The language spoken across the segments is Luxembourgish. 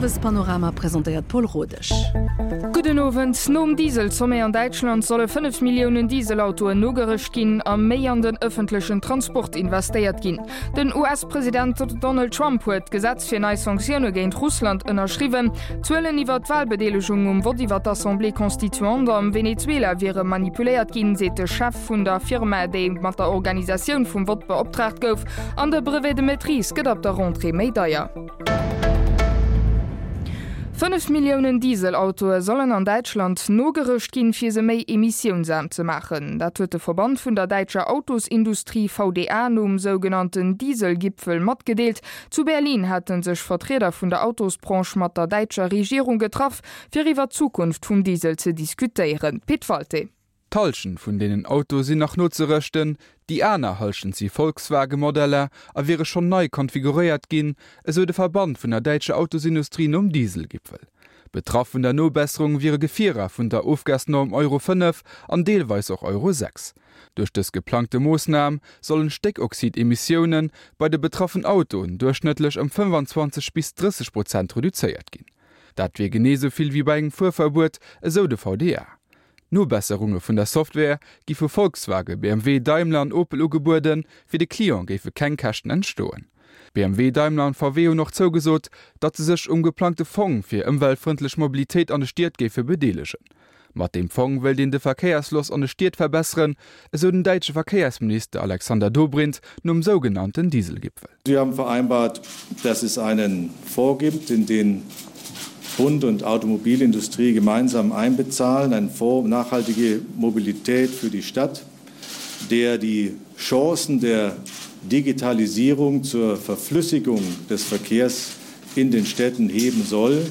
Owespanorama presentéiert d'Paul Rodesch. Gudden Owend. Nom Diesel-Sommet an Däitschland solle 5 Milliounen Dieselautoen nogerëscht ginn a méi an den ëffentlechen Transport investéiert ginn. Den US-President Donald Trump huet d'Gesetz fir nei Sanktioune géint Russland ënnerschriwwen. D'Zuelen iwwer d'Walbedeelegung um Vott iwwer d'Assemblée constituante am Venezuela wiere manipuléiert ginn, seet de Chef vun der Firma, déi mat der Organisatioun vum Vott beoptraagt gouf. An de Brevet de maîtrise gëtt ab der Rentrée méi deier. 5 Milliounen Dieselautoe sollen an Däitschland nogerëscht ginn, fir se méi emissiounsaarm ze maachen. Dat huet de Verband vun der däitscher Autosindustrie VDA nom sougenannten Dieselgipfel matgedeelt. Zu Berlin hate sech Vertrieder vun der Autosbranche mat der däitscher Regierung getraff, fir iwwer d'Zukunft vum Diesel ze diskutéieren. Pit Walté. D'Hallschent vun deenen Autoe sinn nach nozerëschten, déi aner Hallschent si Volkswagen-Modeller a wiere schonn nei konfiguréiert ginn, esou de Verband vun der däitscher Autosindustrie nom Dieselgipfel. Betraff vun der Nobesserung wiere Gefierer vun der Ofgasnorm Euro 5 an deelweis och Euro 6. Duerch dës geplangte Moossnam sollen d'Stéckoxid-Emissioune bei de betraffen Autoen duerchschnëttlech ëm 25 bis 30 Prozent reduzéiert ginn. Dat wier genee esou vill wéi bei engem Fuerverbuet, esou de VDA. Nobesserunge vun der Software gi vu Volkswagen, BMW, Daimler an Opel ugebueden. Fir de Client géife keng Käschten entstoen. BMW, Daimler an VW hunn och zougesot, datt se sech um geplangte Fong fir ëmweltfrëndlech Mobilitéit an de Stied géife bedeelegen. Mat deem Fong wéilt een de Verkéiersfloss an de Stied verbesseren, esou den däitsche Verkéiersminister Alexander Dobrindt nom sougenannten Dieselgipfel. Wir haben vereinbart, dass es einen Fonds gibt, in den Bund und Automobilindustrie gemeinsam einbezahlen, einen Fonds nachhaltige Mobilität für die Stadt, der die Chancen der Digitalisierung zur Verflüssigung des Verkehrs in den Städten heben soll.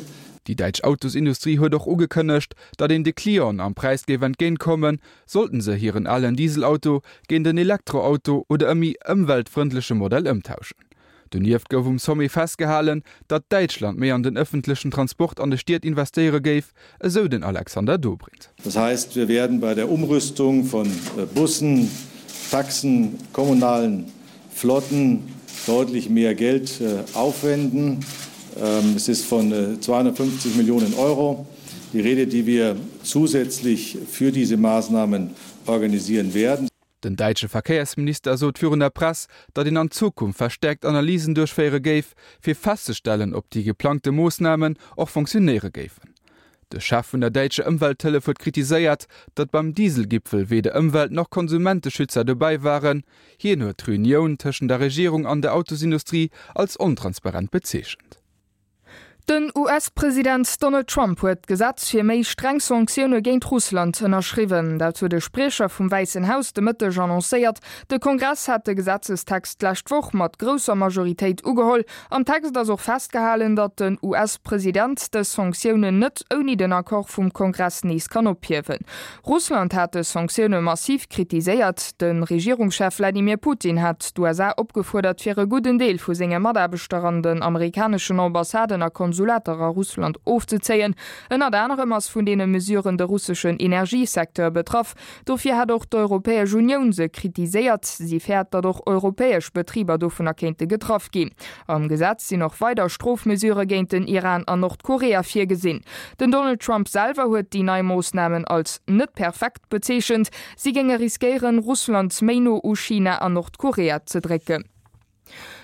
Déi däitsch Autosindustrie huet och ugekënnegt, datt een de Clienten am Präis géif entgéintkommen, sollten se hiren alen Dieselauto géint en Elektroauto oder e méi ëmweltfrëndleche Modell ëmtauschen. Donieft gouf um Sommet festgehalen, datt Däitschland méi an den ëffentlechen Transport an de Stied investéiere géif, esou den Alexander Dobrindt. Das heißt, wir werden bei der Umrüstung von Bussen, Taxen, kommunalen Flotten deutlich mehr Geld aufwenden. Es ist von 250 Millionen Euro die Rede, die wir zusätzlich für diese Maßnahmen organisieren werden. Den däitsche Verkéiersminister sot virun der Press, datt een an Zukunft verstäerkt Analysen duerchféiere géif, fir festzestellen, ob déi geplangte Moossnamen och fonctionéiere géifen. De Chef vun der däitscher Ëmwelthëllef huet kritiséiert, datt beim Dieselgipfel weder Ëmwelt nach Konsumenteschützer dobäi waren. Hien huet d'Reunioun tëschent der Regierung an der Autosindustrie als ontransparent bezeechent. Den US-President Donald Trump huet d'Gesetz fir méi streng Sanktioune géint Russland ënnerschriwwen. Dat huet e Spriecher vum Wäissen Haus de Mëtteg annoncéiert. De Kongress hat de Gesetzestext d'lescht Woch mat grousser Majoritéit ugeholl. Am Text ass och festgehalen, datt den US-President dës Sanktiounen net ouni den Accord vum Kongress nees kann ophiewen. Russland hat dës Sanktioune massiv kritiséiert. De Regierungschef Wladimir Putin hat d'USA opgefuerdert, fir e gudden Deel vu senge Mataarbechter an den amerikaneschen Ambassaden a Konsulater a Russland ofzezéien. Ënnert anerem ass vun deene Mesuren de russeschen Energiesecteur betraff. Dofir hat och d'Europäesch Unioun se kritiséiert. Si fäert, datt och europäesch Betriber dovunner kéinte getraff ginn. Am Gesetz sinn och weider Strofmesurë géint den Iran an Nordkorea virgesinn. Den Donald Trump selwer huet déi nei Moossnamen als net perfekt bezeechent. Si géinge riskéieren, Russland méi no u China an Nordkorea ze drécken.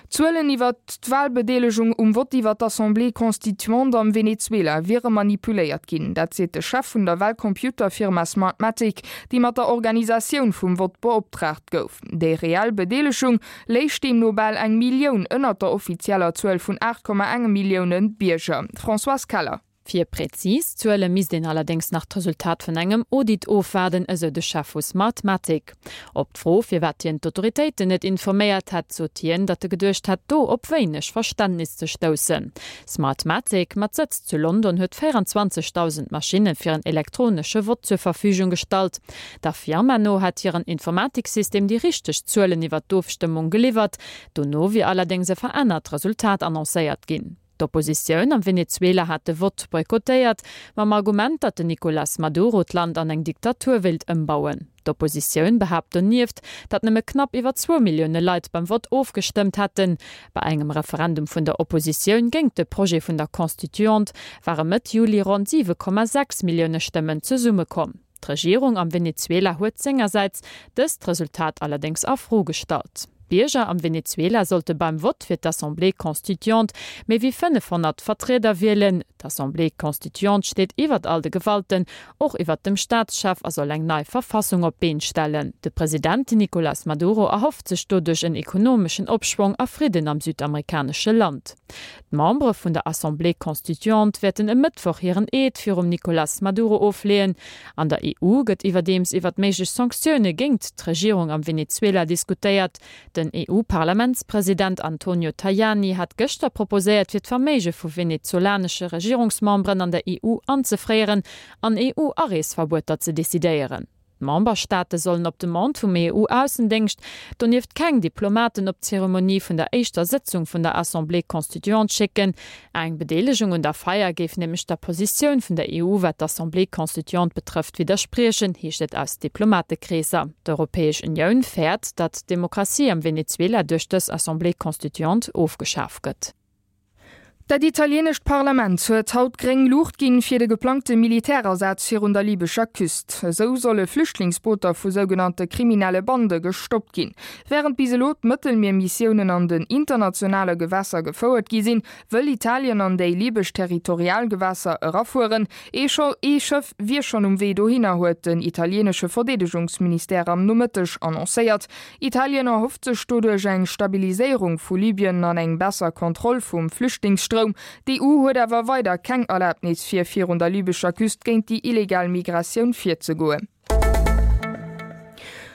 D'Zuelen iwwer d'Walbedeelegung um Vott iwwer d'Assemblée constituante am Venezuela wiere manipuléiert ginn. Dat seet de Chef vun der Walcomputerfirma Smartmatic, déi mat der Organisatioun vum Vott beoptraagt gouf. Déi reell Bedeelegung léich deemno bal eng Millioun ënnert der offizieller Zuel vun 8,1 Millioune Bierger. Françoise Keller. Fir präzis Zuele misst een allerdéngs nach d'Resultat vun engem Audit ofwaarden, esou de Chef vu Smartmatic. Op d'Fro, firwat hien d'Autoritéiten net informéiert hätt, sot hien, datt e geduecht hätt, do op wéineg Verständnis ze stoussen. Smartmatic, mat Sëtz zu London, huet 24.000 Maschinne fir en elektronesche Vott zur Verfügung gestallt. Der Firma no hätt hiren Informatiksystem déi richteg Zuelen iwwer d'Ofstëmmung geliwwert, dono wier allerdéngs e verännert Resultat annoncéiert ginn. D'Oppositioun am Venezuela hat de Vott boykottéiert, mam Argument, datt den Nicolás Maduro d'Land an eng Diktatur wéilt ëmbauen. D'Oppositioun behaapt donieft, datt nëmme knapp iwwer zwou Millioune Leit beim Vott ofgestëmmt hätten. Bei engem Referendum vun der Oppositioun géingt de Projet vun der Constituante ware Mëtt Juli ronn 7,6 Millioune Stëmmen zesummekomm. D'Regierung am Venezuela huet sengersäits dëst Resultat allerdéngs a Fro gestallt. D'Bierger am Venezuela sollte beim Vott fir d'Assemblée constituante méi wéi 500 Vertrieder wielen. D'Assemblée constituante steet iwwert all de Gewalten, och iwwert dem Staatschef a soll eng nei Verfassung op d'Been stellen. De President Nicolas Maduro erhofft sech doduerch en ekonomeschen Opschwong a Fridden am südamerikanesche Land. D'Membere vun der Assemblée constituante wäerten e Mëttwoch hiren Eed virum Nicolas Maduro ofleeën. An der EU gëtt iwwerdeems iwwert méiglech Sanktioune géingt d'Regierung am Venezuela diskutéiert. Den EU-Parlamentspresident Antonio Tajani hat gëschter proposéiert fir d'Verméige vu venezolanesche Regierungsmemberen an der EU anzefréieren an EU-Areesverbueter ze decidéieren. D'Memberstaate sollen op Demande vum EU-Aussendéngscht donieft keng Diplomaten op d'Zeremonie vun der éischter Sëtzung vun der Assemblée constituante schécken. Eng Bedeelegung un der Feier géif nämlech der Positioun vun der EU, wat d'Assemblée constituante betrëfft, widderspriechen, heescht et aus Diplomatekreesser. D'Europäesch Unioun fäert, datt d'Demokratie am Venezuela duerch dës Assemblée constituante ofgeschaf gëtt. Dat italienescht Parlament huet haut gréng Luucht ginn fir de geplangte Militärasaz virun der libescher Küst. Esou solle Flüchtlingsbooter vu sougenannte kriminelle Bande gestoppt ginn. Wärend bis elo d'Mëttelmiermissiounen an den internationale Gewässer gefouert gi sinn, wëll Italien an déi libesch Territorialgewässer erafueren. Ee Schëff wier schonn um Wee dohinner, huet den italienesche Verdeedegungsministère am Nomëtteg annoncéiert. Italien erhofft sech doduerch eng Stabiliséierung vu Libyen an eng besser Kontroll vum Flüchtlingsstroum. D'EU huet awer weider keng Erlabnis fir virun der libescher Küst géint déi illegal Migratioun virzegoen.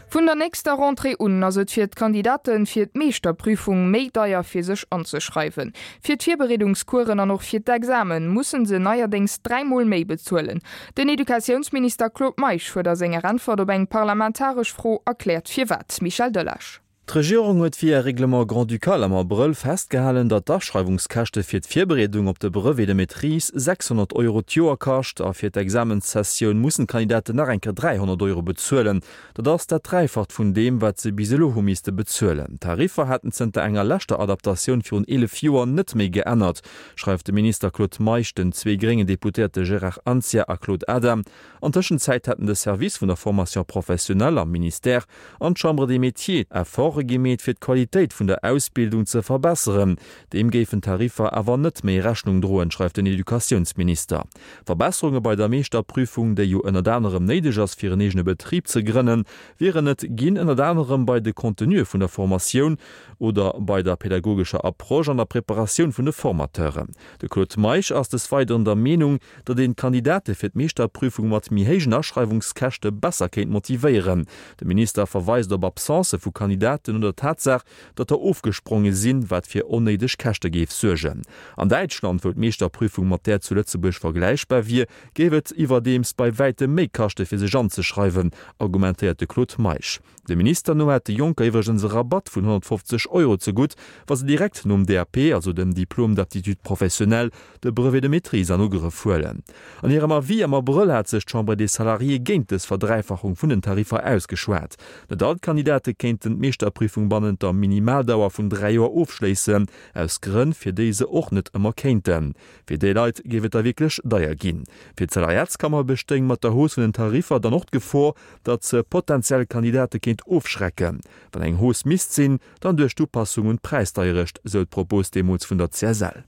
Vun der nächster Rentrée un ass et fir d'Kandidate fir d'Meeschterprüfung méi deier fir sech anzeschreiwen. Fir d'Virbereedungscoursen an och fir d'Examen musse se neierdéngs dräimol méi bezuelen. Den Educatiounsminister Claude Meisch huet a senger Äntwert op eng parlamentaresch Fro erkläert firwat. Michel Delage. D'Regierung huet via Règlement grand-ducal am Abrëll festgehalen, datt d'Aschreiwungskäschte fir d'Virbereedung op de Brevet de maîtrise 600 Euro d'Joer kascht a fir d'Examenssessioun mussen d'Kandidaten nach eng Kéier 300 Euro bezuelen. Dat ass dat Dräifacht vun deem, wat se bis elo hu misste bezuelen. D'Tariffer hätten zënter enger leschter Adaptatioun virun 11 Joer net méi geännert. schreift de Minister Claude Meisch den zwee gréngen Deputéierte Gérard Anzia a Claude Adam. An Tëschenzäit hätten de Service vun der Formation professionnelle am Ministère an d'Chambre des Métiers Efforte gemeet, fir d'Qualitéit vun der Ausbildung ze verbesseren. Deem géifen d'Tariffer awer net méi Rechnung droen, schreift den Educatiounsminister. Verbesserunge bei der Meeschterprüfung, déi jo ënnert anerem néideg ass, fir en eegene Betrib ze grënnen, wieren et ginn, ënnert anerem bei de Contenuë vun der Formatioun, oder bei der pädagogescher Approche an der Preparatioun vun de Formateuren. De Claude Meisch ass des Weideren der Meenung, datt een d'Kandidate fir d'Meeschterprüfung mat méi héijen Aschreiwungskäschte besser kéint motivéieren. De Minister verweist op Absencë vu Kandidaten oder d'Tatsaach, datt der ofgespronge sinn, wat fir onnéideg Käschte géif suergen. An Däitschland, wou d'Meeschterprüfung mat där zu Lëtzebuerg vergläichbar wier, géif et iwwerdeems bei wäitem méi kaschte fir sech anzeschreiwen, argumentéiert de Claude Meisch. Dem Minister no hätt de Jonker iwwregens e Rabatt vun 150 Euro zegutt, wa se direkt nom DAP, also dem Diplôme d'aptitude professionnelle, de Brevet de maîtrise an Ugrëff huelen. An hirem Avis am Abrëll hat sech d'Chambre des Salariés géint dës Verdräifachung vun den Tariffer ausgeschwat. Net all d'Kandidate kéinten d'Meeschterprüfung bannent der Minimaldauer vun 3 Joer ofschléissen, aus Grënn, fir déi se och net ëmmer kéinten. Fir déi Leit géif et da wierklech deier ginn. Fir d'Salariatskammer bestéing mat der Hausse vun den Tariffer dann och d'Gefor, datt se potentiell Kandidate kéint ofschrecken. Wann eng Hausse misst sinn, dann duerch d'Upassung un d'Präisdeierecht, sou d'Propos deemools vun der CSL.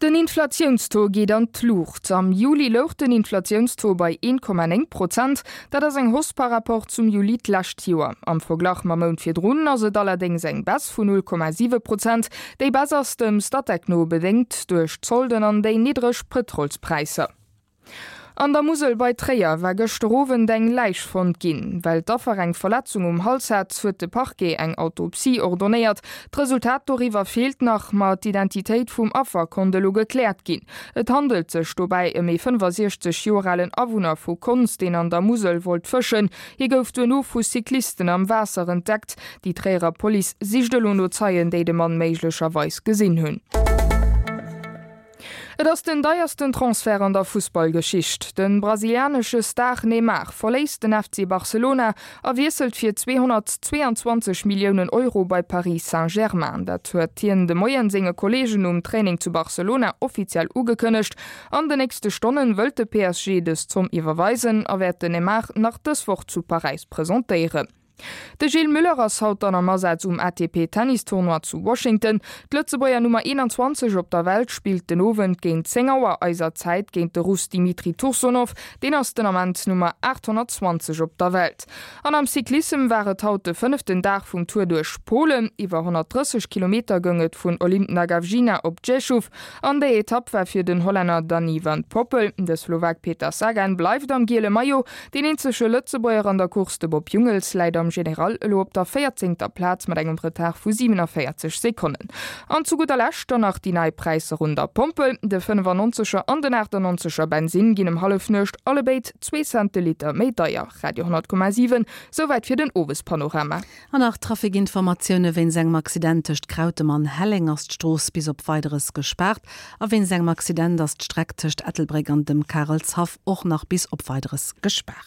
Den Inflatiounstaux geet an d'Luucht. Am Juli louch den Inflatiounstaux bei 1,9 Prozent. Dat ass eng Hausse par rapport zum Juli d'lescht Joer. Am Verglach mam Mount virdrun ass et allerdéngs eng Baisse vun 0,7 Prozent. Déi Baisse ass dem Statec no bedéngt duerch d'Solden an déi niddreg Pëtrolspräisser. An der Musel bei Tréier war gëschter Owend eng Läich fonnt ginn. Well d'Affer eng Verletzung um Hals hat, huet de Parquet eng Autopsie ordonéiert. D'Resultat doriwwer feelt nach, ma d'Identitéit vum Affer konnt elo gekläert ginn. Et handelt sech dobäi ëm ee 65 Joer alen Awunner vu Konz, deen an der Musel wollt fëschen. Hie gouf duerno vu Cyclisten am Waasser entdeckt. Déi Tréierer Police sicht elo no Zeien, déi de Mann méiglecherweis gesinn hunn. Et ass den deiersten Transfert an der Fussballgeschicht. De brasilianesche Star Neymar verléisst den FC Barcelona a wiesselt fir 222 Milliounen Euro bei Paris Saint-Germain. Dat huet hien de Moien senge Kolleegen um Training zu Barcelona offiziell ugekënnegt. An de nächste Stonnen wëllt de PSG dës Zomm iwwerweisen a wäert den Neymar nach dës Woch zu Paräis presentéieren. De Gilles Muller ass haut dann am Asaz um ATP Tennis Tournoi zu Washington. D'Lëtzebuerger Nummer 21 op der Welt spillt den Owend géint 10 Auer eiser Zäit géint de Russ Dimitri Tursunov. Deen ass den Ament Nummer 820 op der Welt. An am Cyclissem war et haut de fënneften Dag vum Tour duerch Polen. Iwwer 130 Kilometer goung et vun Olimpna Gawrzyna op Rzeszów. An déi Etapp war fir den Hollänner Danny van Poppel. De Slowak Peter Sagan bleift am giele Maillot. Deen eenzege Lëtzebuerger an der Course, de Bob Jungels, läit am General elo op der véierzéngter Plaz mat engem Retard vu 47 Sekonnen. An zu gudder Lescht dann nach déi nei Präisser un der Pompel, De 95er an den 98er Bensinn ginn ëm Hallefnuecht allebéid zwee Cent de Liter méi deier. Radio 10,7, Souwäit fir den Owespanorama. An nach Trafikinformatioune, Wéinst engem Accident tëscht Krautem an Helleng ass d'Strooss bis op Weideres gespaart a wéinst engem Accident ass d'Streck tëscht Ettelbréck an dem Karelshaff och nach bis op Weideres gespaart.